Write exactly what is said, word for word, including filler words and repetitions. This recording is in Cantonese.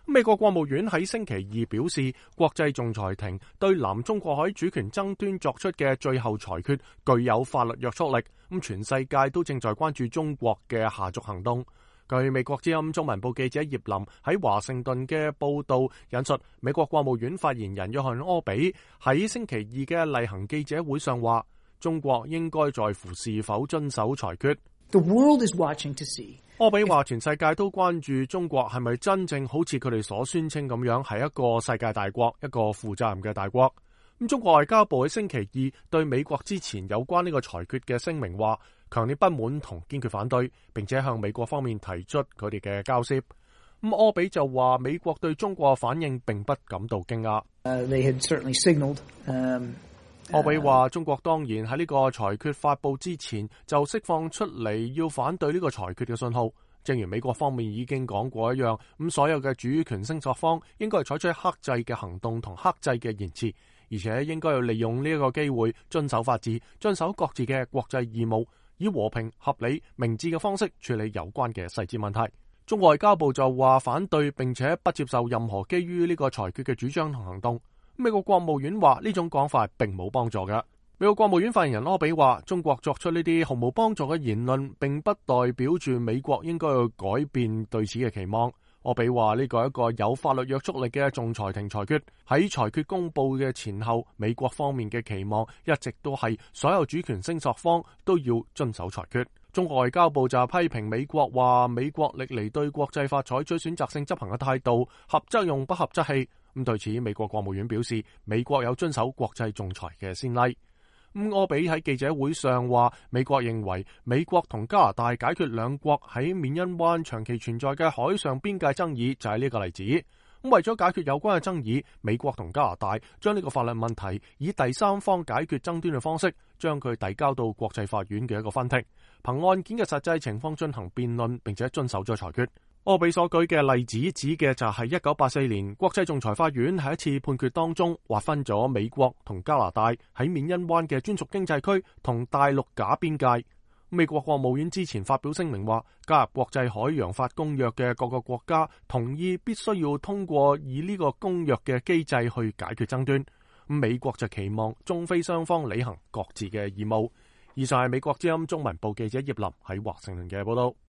美國國務院喺星期二表示，國際仲裁庭對南中國海主權爭端作出嘅最後裁決具有法律約束力。咁全世界都正在關注中國嘅下續行動。據美國之音中文部記者葉林喺華盛頓嘅報道引述，美國國務院發言人約翰柯比喺星期二嘅例行記者會上話，中國應該在乎是否遵守裁決。The world is watching to see. 柯比話，全世界都關注中國係咪真正好似佢哋所宣稱咁樣係一個世界大國，一個負責任嘅大國。咁中國外交部喺星期二對美國之前有關呢個裁決嘅聲明話，強烈不滿同堅決反對，並且向美國方面提出佢哋嘅交涉。咁柯比就話，美國對中國嘅反應並不感到驚訝。Uh, they had certainly signaled, um, 柯比話，中國當然喺呢個裁決發佈之前就釋放出嚟要反對呢個裁決嘅信號，正如美國方面已經講過一樣。咁所有嘅主權聲索方應該係採取克制嘅行動同克制嘅言辭，而且應該要利用呢一個機會遵守法治，遵守各自嘅國際義務，以和平、合理、明智嘅方式處理有關嘅細節問題。中國外交部就話反對並且不接受任何基於呢個裁決嘅主張同行動。美國國務院話呢種講法並冇幫助嘅。美國國務院發言人柯比話，中國作出呢啲毫無幫助嘅言論，並不代表住美國應該要改變對此嘅期望。柯比話呢個係一個有法律約束力嘅仲裁庭裁決，喺裁決公布嘅前後，美國方面嘅期望一直都係所有主權聲索方都要遵守裁決。中國外交部就批評美國話，美國歷嚟對國際法採取選擇性執行嘅態度，合則用，不合則棄。咁對此，美國國務院表示，美國有遵守國際仲裁嘅先例。咁柯比喺記者會上話，美國認為美國同加拿大解決兩國喺緬因灣長期存在嘅海上邊界爭議就係呢個例子。咁為咗解決有關嘅爭議，美國同加拿大將呢個法律問題以第三方解決爭端嘅方式，將佢遞交到國際法院嘅一個分庭，憑案件嘅實際情況進行辯論，並且遵守咗裁決。柯比所舉嘅例子指嘅就係一九八四年國際仲裁法院喺一次判決當中劃分咗美國同加拿大喺緬因灣嘅專屬經濟區同大陸假邊界。美國國務院之前發表聲明話，加入國際海洋法公約嘅各個國家同意必須要通過以呢個公約嘅機制去解決爭端。美國就期望中非雙方履行各自嘅義務。以上係美國之音中文部記者葉林喺華盛頓嘅報道。